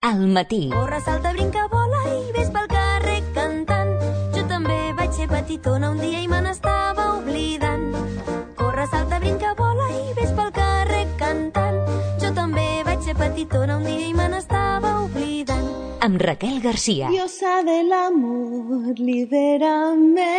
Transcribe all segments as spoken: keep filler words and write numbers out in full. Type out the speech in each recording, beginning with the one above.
al matí. Corre, salta, brinca, vola i ves pel carrer cantant. Jo també vaig ser petitona un dia i me n'estava oblidant. Corre, salta, brinca, vola i ves pel carrer cantant. Jo també vaig ser petitona un dia i me n'estava oblidant. Amb Raquel García. Diosa del amor, libérame.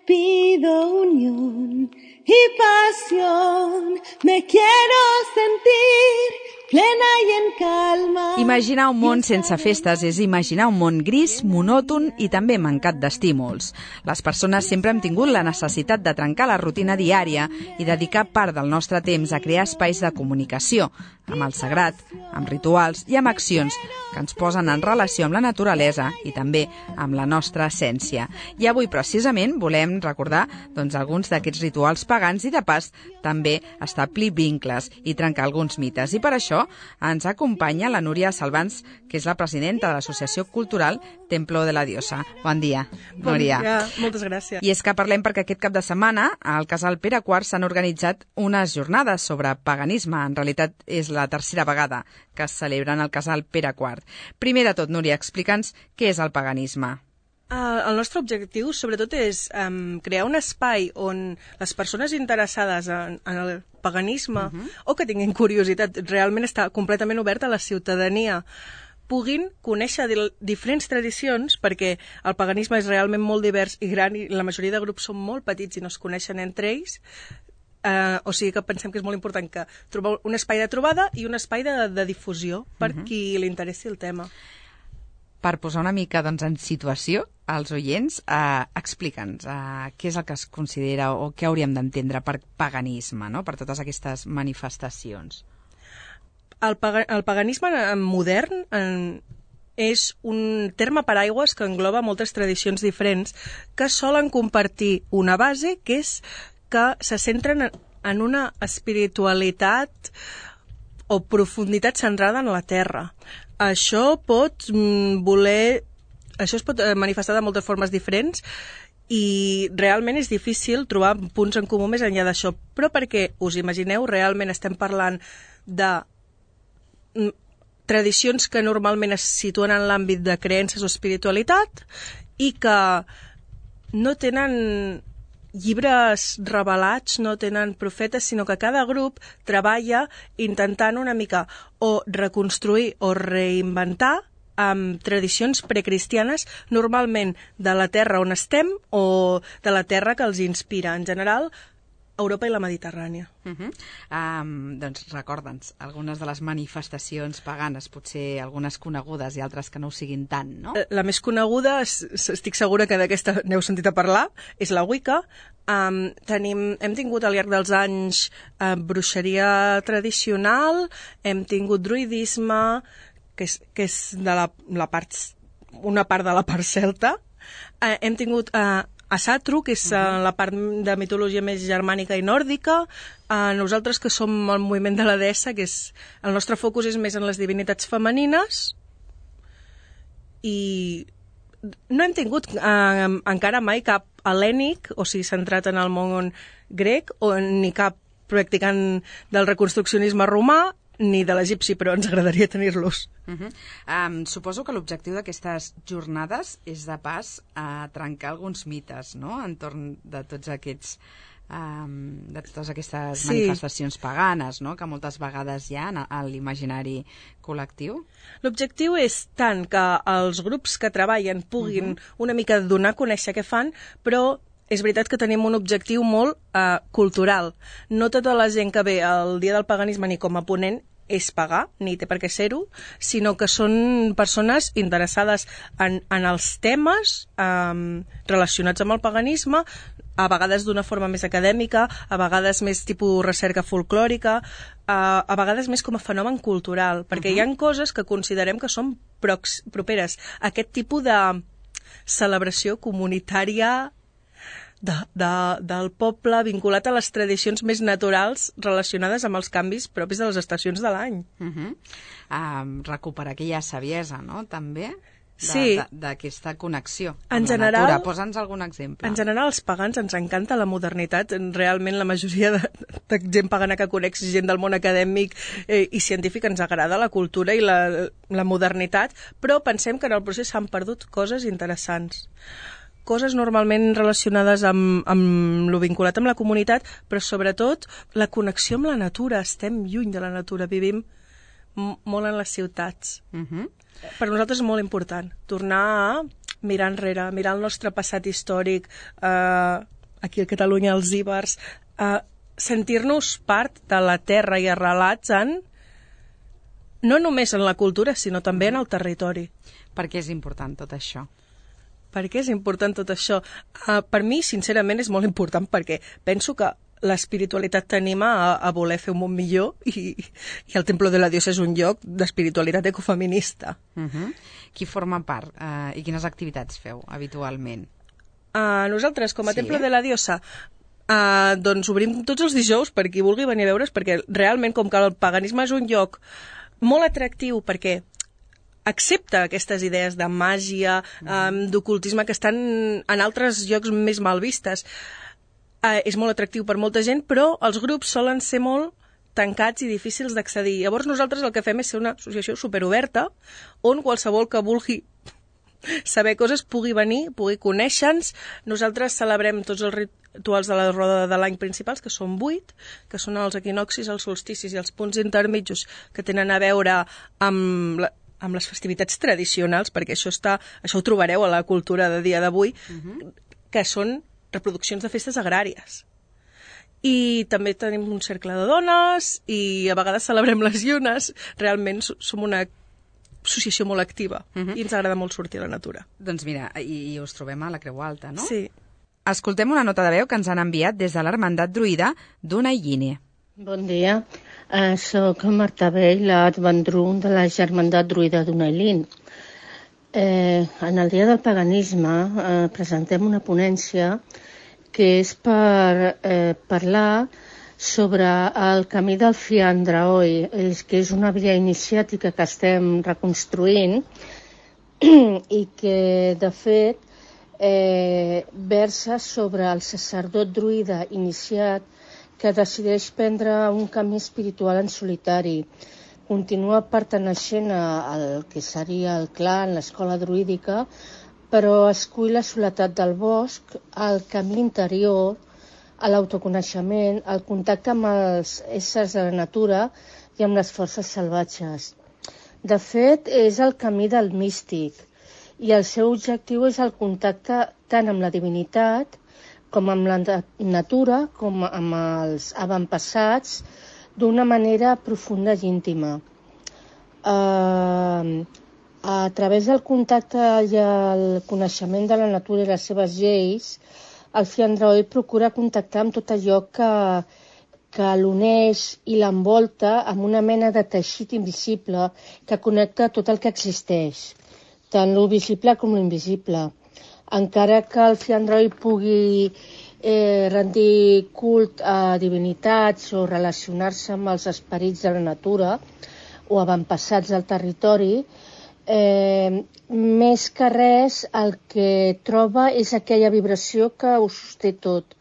Pido unión y pasión. Me quiero sentir plena i en calma. Imaginar un món sense festes és imaginar un món gris, monòton i també mancat d'estímuls. Les persones sempre hem tingut la necessitat de trencar la rutina diària i dedicar part del nostre temps a crear espais de comunicació, amb el sagrat, amb rituals i amb accions que ens posen en relació amb la naturalesa i també amb la nostra essència. I avui, precisament, volem recordar doncs, alguns d'aquests rituals pagans i, de pas, també establir vincles i trencar alguns mites. I per això ens acompanya la Núria Salvans, que és la presidenta de l'Associació Cultural Templo de la Diosa. Bon dia, Núria. Bon dia, moltes gràcies. I és que parlem perquè aquest cap de setmana al Casal Pere quart s'han organitzat unes jornades sobre paganisme. En realitat és la tercera vegada que es celebren al Casal Pere quart. Primer de tot, Núria, explica'ns què és el paganisme. Uh, el nostre objectiu, sobretot, és um, crear un espai on les persones interessades en, en el paganisme uh -huh. o que tinguin curiositat, realment està completament obert a la ciutadania, puguin conèixer diferents tradicions, perquè el paganisme és realment molt divers i gran i la majoria de grups són molt petits i no es coneixen entre ells. Uh, o sigui que pensem que és molt important que trobar un espai de trobada i un espai de, de difusió per uh -huh. qui li interessi el tema. Per posar una mica doncs, en situació als oients, eh, explica'ns eh, què és el que es considera o què hauríem d'entendre per paganisme, no? Per totes aquestes manifestacions. El, paga, el paganisme modern en, és un terme paraigües que engloba moltes tradicions diferents que solen compartir una base, que és que se centren en, en una espiritualitat o profunditat centrada en la terra. Això pot mm, voler... Això es pot manifestar de moltes formes diferents i realment és difícil trobar punts en comú més enllà d'això. Però perquè, us imagineu, realment estem parlant de mm, tradicions que normalment es situen en l'àmbit de creences o espiritualitat i que no tenen llibres revelats, no tenen profetes, sinó que cada grup treballa intentant una mica o reconstruir o reinventar amb tradicions precristianes, normalment de la terra on estem o de la terra que els inspira. En general, Europa i la Mediterrània. Uh -huh. um, doncs recorda'ns algunes de les manifestacions paganes, potser algunes conegudes i altres que no ho siguin tant, no? La més coneguda, estic segura que d'aquesta n'heu sentit a parlar, és la Wicca. Um, tenim, hem tingut al llarg dels anys uh, bruixeria tradicional, hem tingut druidisme, que és, que és de la, la part, una part de la part celta. Uh, hem tingut uh, Asatru, que és uh, la part de mitologia més germànica i nòrdica. Uh, nosaltres, que som el moviment de la deessa, que és, el nostre focus és més en les divinitats femenines. I no hem tingut uh, encara mai cap hel·lènic, o sigui, centrat en el món grec, o ni cap practicant del reconstruccionisme romà, ni de l'egipci, però ens agradaria tenir-los. Uh -huh. um, suposo que l'objectiu d'aquestes jornades és, de pas, a trencar alguns mites, no?, entorn de tots aquests um, de totes aquestes sí. manifestacions paganes, no?, que moltes vegades hi ha a l'imaginari col·lectiu. L'objectiu és tant que els grups que treballen puguin uh -huh. una mica donar a conèixer què fan, però és veritat que tenim un objectiu molt uh, cultural. No tota la gent que ve al Dia del Paganisme ni com a ponent és pagar, ni té per què ser-ho, sinó que són persones interessades en, en els temes um, relacionats amb el paganisme, a vegades d'una forma més acadèmica, a vegades més tipus recerca folclòrica, a, a vegades més com a fenomen cultural, perquè uh-huh. hi ha coses que considerem que són prox, properes a aquest tipus de celebració comunitària De, de, del poble, vinculat a les tradicions més naturals relacionades amb els canvis propis de les estacions de l'any. Uh-huh. um, recuperar aquella saviesa, no?, també? Sí. d'aquesta connexió amb en la general, natura. Posa'ns algun exemple. En general, als pagans ens encanta la modernitat. Realment, la majoria de, de gent pagana que conec, gent del món acadèmic eh, i científic, ens agrada la cultura i la, la modernitat, però pensem que en el procés s'han perdut coses interessants. Coses normalment relacionades amb, amb lo vinculat amb la comunitat, però sobretot la connexió amb la natura. Estem lluny de la natura, vivim m- molt en les ciutats. Uh-huh. Per nosaltres és molt important tornar a mirar enrere, mirar el nostre passat històric, eh, aquí a Catalunya, els íbers, eh, sentir-nos part de la terra i arrelats en, no només en la cultura, sinó també en el territori. Per què és important tot això? Per què és important tot això? Uh, per mi, sincerament, és molt important perquè penso que l'espiritualitat t'anima a, a voler fer un món millor i, i el Templo de la Diosa és un lloc d'espiritualitat ecofeminista. Uh-huh. Qui forma part uh, i quines activitats feu habitualment? Uh, nosaltres, com a Sí. Temple de la Diosa, uh, doncs obrim tots els dijous per qui vulgui venir a veure's, perquè realment, com que el paganisme és un lloc molt atractiu, perquè accepta aquestes idees de màgia, um, d'ocultisme que estan en altres llocs més mal vistes. Uh, és molt atractiu per molta gent, però els grups solen ser molt tancats i difícils d'accedir. Llavors nosaltres el que fem és ser una associació superoberta on qualsevol que vulgui saber coses pugui venir, pugui conèixer-nos. Nosaltres celebrem tots els rituals de la roda de l'any principals, que són vuit, que són els equinoxis, els solsticis i els punts intermitjos que tenen a veure amb la, amb les festivitats tradicionals, perquè això està, això ho trobareu a la cultura de dia d'avui, uh-huh. que són reproduccions de festes agràries. I també tenim un cercle de dones i a vegades celebrem les llunes. Realment som una associació molt activa uh-huh. i ens agrada molt sortir a la natura. Doncs mira, i, i us trobem a la Creu Alta, no? Sí. Escoltem una nota de veu que ens han enviat des de l'Hermandat Druida d'Unaïne. Bon dia, uh, soc Marta Bell, l'advendrum de la Germandat Druida d'Unaïlin. Eh, en el Dia del Paganisme eh, presentem una ponència que és per eh, parlar sobre el camí del Fiandraoi, és, que és una via iniciàtica que estem reconstruint i que, de fet, eh, versa sobre el sacerdot druida iniciat que decideix prendre un camí espiritual en solitari. Continua perteneixent al que seria el clan, l'escola druídica, però escull la soledat del bosc, el camí interior, a l'autoconeixement, el contacte amb els éssers de la natura i amb les forces salvatges. De fet, és el camí del místic i el seu objectiu és el contacte tant amb la divinitat com amb la natura, com amb els avantpassats, d'una manera profunda i íntima. Uh, a través del contacte i el coneixement de la natura i les seves lleis, el Fiandraoi procura contactar amb tot allò que, que l'uneix i l'envolta amb una mena de teixit invisible que connecta tot el que existeix, tant lo visible com l'invisible. Encara que el Fiandraoi pugui eh, rendir cult a divinitats o relacionar-se amb els esperits de la natura o avantpassats del territori, eh, més que res el que troba és aquella vibració que ho sosté tot.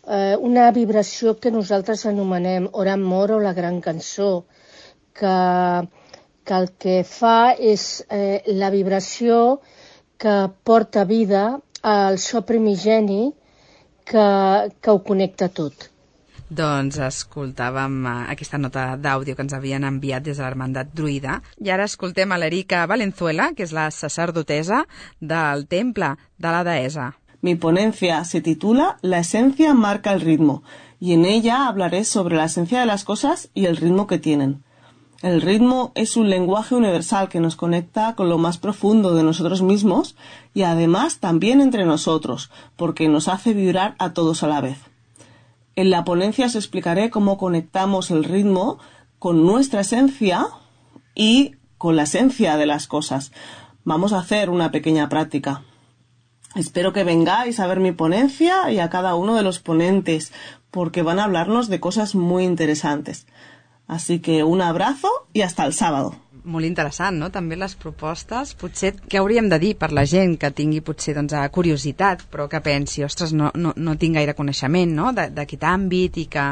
Eh, una vibració que nosaltres anomenem Oran Mor o la Gran Cançó, que, que el que fa és eh, la vibració que porta vida al so primigeni que, que ho connecta tot. Doncs escoltàvem aquesta nota d'àudio que ens havien enviat des de l'Hermandat Druida. I ara escoltem a l'Erika Valenzuela, que és la sacerdotesa del Temple de la Deessa. Mi ponencia se titula La esencia marca el ritmo, y en ella hablaré sobre la esencia de las cosas y el ritmo que tienen. El ritmo es un lenguaje universal que nos conecta con lo más profundo de nosotros mismos y además también entre nosotros, porque nos hace vibrar a todos a la vez. En la ponencia os explicaré cómo conectamos el ritmo con nuestra esencia y con la esencia de las cosas. Vamos a hacer una pequeña práctica. Espero que vengáis a ver mi ponencia y a cada uno de los ponentes, porque van a hablarnos de cosas muy interesantes. Así que un abrazo y hasta el sábado. molt interessant, no? També les propostes. Potser què hauríem de dir per la gent que tingui potser doncs, curiositat, però que pensi, ostres, no, no, no tinc gaire coneixement, no? d'aquest àmbit i que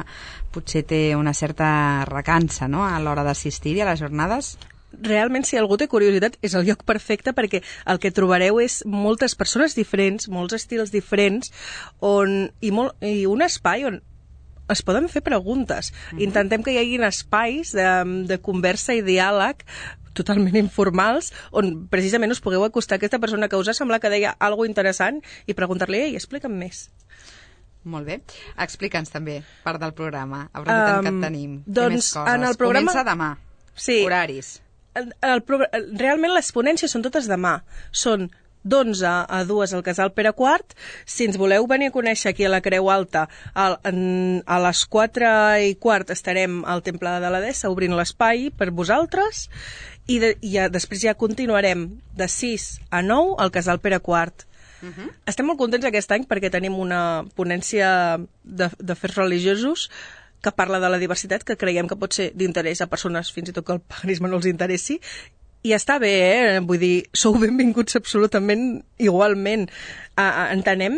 potser té una certa recança, no? A l'hora d'assistir-hi a les jornades? Realment, si algú té curiositat, és el lloc perfecte perquè el que trobareu és moltes persones diferents, molts estils diferents on, i, molt, i un espai on es poden fer preguntes. Mm-hmm. Intentem que hi hagi espais de, de conversa i diàleg totalment informals, on precisament us pugueu acostar a aquesta persona que us ha semblat que deia alguna interessant i preguntar-li, ei, explica'm més. Molt bé. Explica'ns també, part del programa, aprofitant um, que et tenim. Doncs, més coses. En el programa... Comença demà. Sí. Horaris. El, el, el, realment les ponències són totes demà. Són d'onze a dues al Casal Pere quart. Si ens voleu venir a conèixer aquí a la Creu Alta, a, a les quatre i quart estarem al Temple de la Deessa obrint l'espai per vosaltres i, de, i ja, després ja continuarem de sis a nou al Casal Pere quart. Uh-huh. Estem molt contents aquest any perquè tenim una ponència d'afers religiosos que parla de la diversitat, que creiem que pot ser d'interès a persones fins i tot que el paganisme no els interessi. I està bé, eh? Vull dir, sou benvinguts absolutament igualment. Uh, entenem,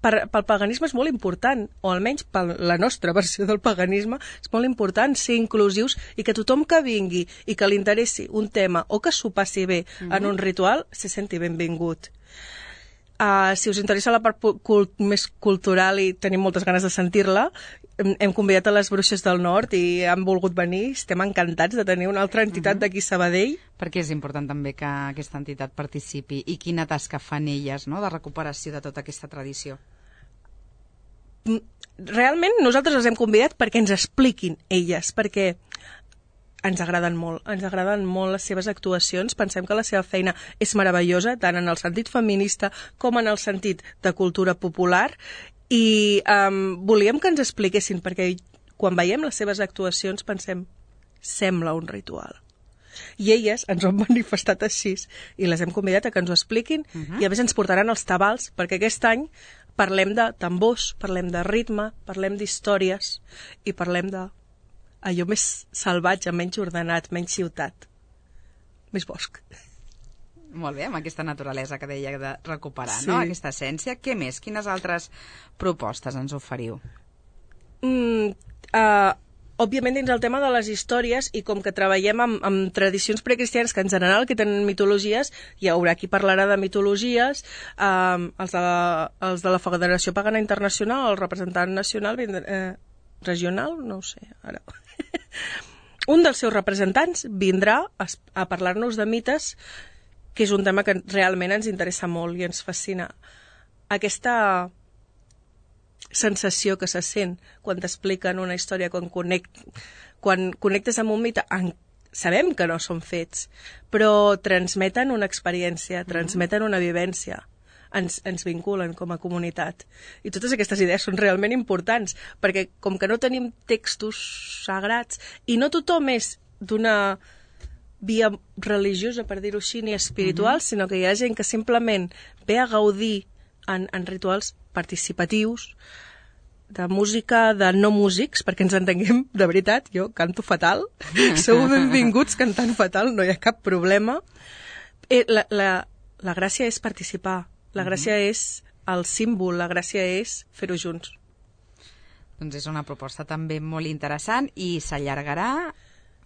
per, pel paganisme és molt important, o almenys per la nostra versió del paganisme, és molt important ser inclusius i que tothom que vingui i que li interessi un tema o que s'ho passi bé mm-hmm. en un ritual, se senti benvingut. Uh, si us interessa la part cult més cultural i tenim moltes ganes de sentir-la, hem, hem convidat a les Bruixes del Nord i han volgut venir. Estem encantats de tenir una altra entitat uh-huh. d'aquí a Sabadell. Perquè és important també que aquesta entitat participi. I quina tasca fan elles, no?, de recuperació de tota aquesta tradició? Realment nosaltres les hem convidat perquè ens expliquin elles, perquè ens agraden molt, ens agraden molt les seves actuacions, pensem que la seva feina és meravellosa, tant en el sentit feminista com en el sentit de cultura popular, i um, volíem que ens expliquessin, perquè quan veiem les seves actuacions pensem, sembla un ritual. I elles ens ho han manifestat així, i les hem convidat a que ens ho expliquin, uh-huh. i a més ens portaran els tabals, perquè aquest any parlem de tambors, parlem de ritme, parlem d'històries, i parlem de allò més salvatge, menys ordenat, menys ciutat, més bosc. Molt bé, amb aquesta naturalesa que deia de recuperar, sí. no?, aquesta essència. Què més? Quines altres propostes ens oferiu? Mm, uh, òbviament dins el tema de les històries, i com que treballem amb, amb tradicions precristianes que en general que tenen mitologies, hi haurà qui parlarà de mitologies, um, els, de la, els de la Federació Pagana Internacional, el representant nacional, eh, regional, no ho sé, ara... Un dels seus representants vindrà a, a parlar-nos de mites, que és un tema que realment ens interessa molt i ens fascina. Aquesta sensació que se sent quan t'expliquen una història, quan, connect, quan connectes amb un mite, en, sabem que no són fets, però transmeten una experiència, transmeten una vivència. Ens, ens vinculen com a comunitat. I totes aquestes idees són realment importants, perquè com que no tenim textos sagrats, i no tothom és d'una via religiosa, per dir-ho així, ni espiritual, mm-hmm. sinó que hi ha gent que simplement ve a gaudir en, en rituals participatius, de música de no músics, perquè ens entenguem, de veritat, jo canto fatal, sou benvinguts cantant fatal, no hi ha cap problema. Eh, la, la, la gràcia és participar. La gràcia mm-hmm. és el símbol, la gràcia és fer-ho junts. Doncs és una proposta també molt interessant i s'allargarà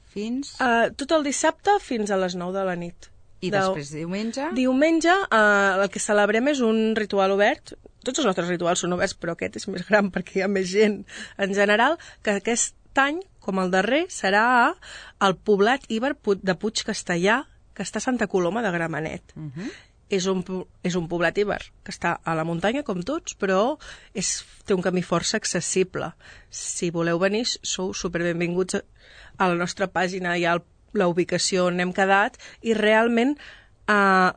fins... Uh, tot el dissabte fins a les nou de la nit. I de... després diumenge? Diumenge uh, el que celebrem és un ritual obert. Tots els nostres rituals són oberts, però aquest és més gran perquè hi ha més gent en general, que aquest any, com el darrer, serà al poblat Iber de Puig Castellà, que està a Santa Coloma de Gramenet. Uh-huh. És un, és un poblat iber que està a la muntanya, com tots, però és, té un camí força accessible. Si voleu venir, sou superbenvinguts a la nostra pàgina, hi ha la ubicació on hem quedat, i realment eh,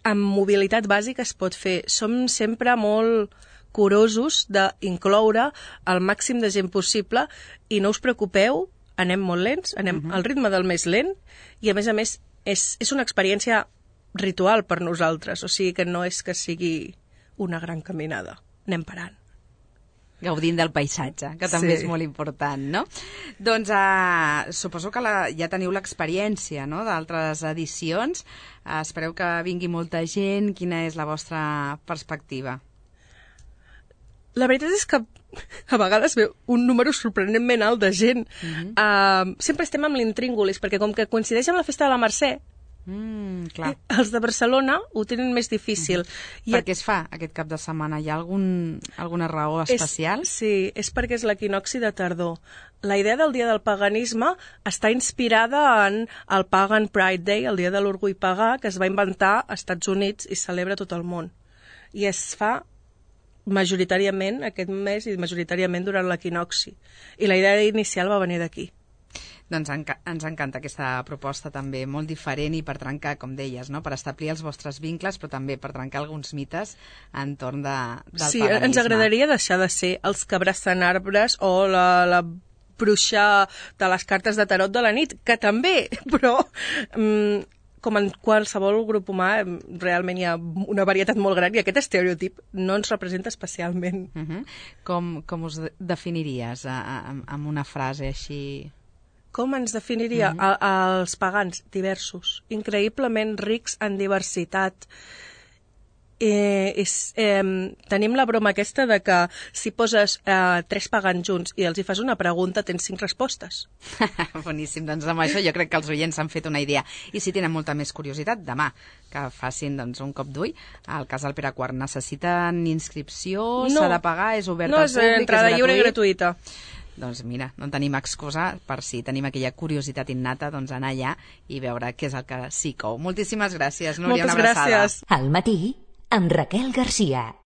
amb mobilitat bàsica es pot fer. Som sempre molt curosos d'incloure el màxim de gent possible, i no us preocupeu, anem molt lents, anem uh-huh. al ritme del més lent, i a més a més és, és una experiència ritual per nosaltres, o sigui que no és que sigui una gran caminada, anem parant. Gaudint del paisatge, que també Sí. és molt important, no? Doncs uh, suposo que la, ja teniu l'experiència, no?, d'altres edicions. Uh, espereu que vingui molta gent. Quina és la vostra perspectiva? La veritat és que a vegades veu un número sorprenentment alt de gent. Uh-huh. Uh, sempre estem amb l'intríngulis, perquè com que coincideix amb la festa de la Mercè, Mm, clar. els de Barcelona ho tenen més difícil. Uh-huh. Per què es fa aquest cap de setmana? Hi ha algun, alguna raó especial? És, sí, és perquè és l'equinoxi de tardor. La idea del Dia del Paganisme està inspirada en el Pagan Pride Day, el Dia de l'Orgull Pagà, que es va inventar als Estats Units i celebra tot el món. I es fa majoritàriament aquest mes i majoritàriament durant l'equinoxi. I la idea inicial va venir d'aquí. Doncs enca ens encanta aquesta proposta també, molt diferent i per trencar, com deies, no?, per establir els vostres vincles, però també per trencar alguns mites entorn de, del sí, paganisme. Ens agradaria deixar de ser els que abracen arbres o la, la bruixa de les cartes de tarot de la nit, que també, però mm, com en qualsevol grup humà realment hi ha una varietat molt gran i aquest estereotip no ens representa especialment. Uh -huh. com, com us definiries amb una frase així? Com ens definiria? Uh -huh. a, els pagans, diversos, increïblement rics en diversitat. Eh, és, eh, tenim la broma aquesta de que si poses eh, tres pagans junts i els hi fas una pregunta, tens cinc respostes. Boníssim, doncs amb això jo crec que els oients han fet una idea. I si tenen molta més curiositat, demà que facin doncs, un cop d'ull al Casal Pere quart. Necessiten inscripció? No. S'ha de pagar? És obert no, al és públic? entrada és lliure i gratuït? gratuïta. Doncs mira, no tenim excusa per si tenim aquella curiositat innata, doncs anar allà i veure què és el que sí cou. Moltíssimes gràcies, Núria. Moltes una abraçada. gràcies. Al matí, amb Raquel Garcia.